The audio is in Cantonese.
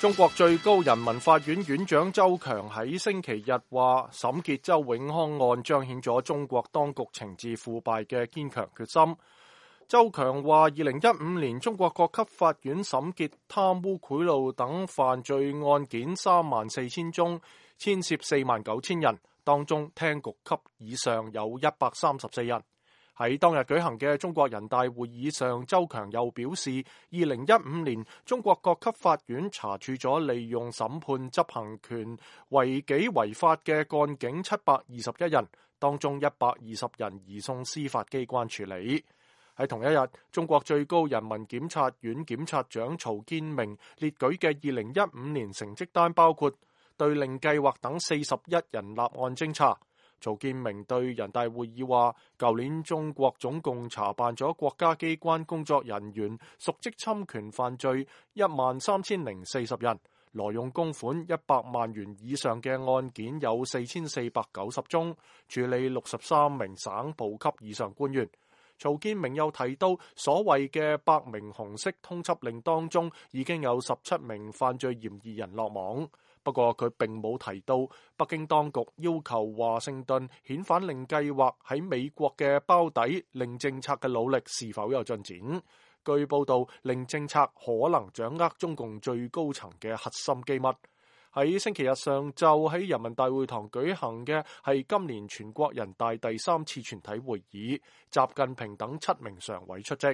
中國最高人民法院院長周強喺星期日話，審結周永康案彰顯咗中國當局懲治腐敗嘅堅強決心。周強話，2015年中國各級法院審結貪污賄賂等犯罪案件34000宗，牽涉49000人，當中廳局級以上有134人。喺當日舉行嘅中國人大會議上，周強又表示，2015年中國各級法院查處咗利用審判執行權違紀違法嘅幹警721人，當中120人移送司法機關處理。喺同一日，中國最高人民檢察院檢察長曹建明列舉嘅2015年成績單包括對令計劃等41人立案偵查。曹建明對人大會議話，舊年中國總共查辦咗國家機關工作人員瀆職侵權犯罪13040人，挪用公款100萬元以上嘅案件有4490宗，處理63名省部級以上官員。曹建明又提到，所謂嘅100名紅色通緝令當中，已經有17名犯罪嫌疑人落網。不過佢並冇提到北京當局要求華盛頓遣返令計劃喺美國嘅包底令政策嘅努力是否有進展。據報道，令政策可能掌握中共最高層嘅核心機密。喺星期日上晝喺人民大會堂舉行嘅係今年全國人大第3次全體會議，習近平等7名常委出席。